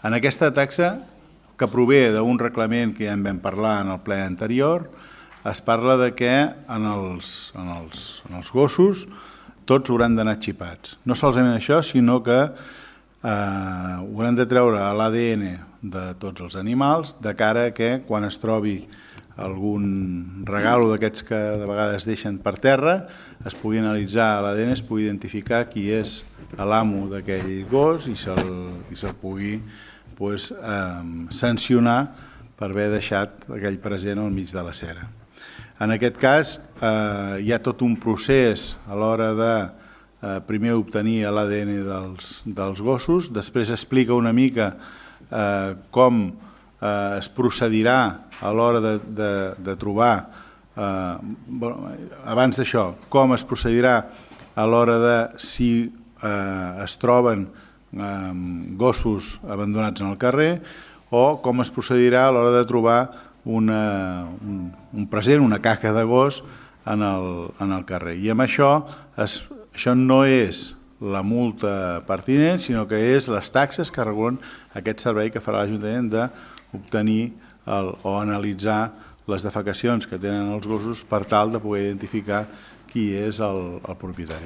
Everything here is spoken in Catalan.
En aquesta taxa, que prové d'un reglament que ja en vam parlar en el ple anterior, es parla de que en els gossos tots hauran d'anar xipats. No solament això, sinó que hauran de treure l'ADN de tots els animals de cara que quan es trobi algun regalo d'aquests que de vegades deixen per terra es pugui analitzar l'ADN, es pugui identificar qui és l'amo d'aquell gos i se'l pugui sancionar per haver deixat aquell present al mig de la cera. En aquest cas hi ha tot un procés a l'hora de primer obtenir l'ADN dels gossos, després explica una mica com es procedirà a l'hora de trobar, abans d'això, com es procedirà a l'hora de si es troben gossos abandonats en el carrer o com es procedirà a l'hora de trobar un present, una caca de gos en el carrer. I amb això no és la multa pertinent, sinó que és les taxes que regulen aquest servei que farà l'Ajuntament d'obtenir o analitzar les defecacions que tenen els gossos per tal de poder identificar qui és el propietari.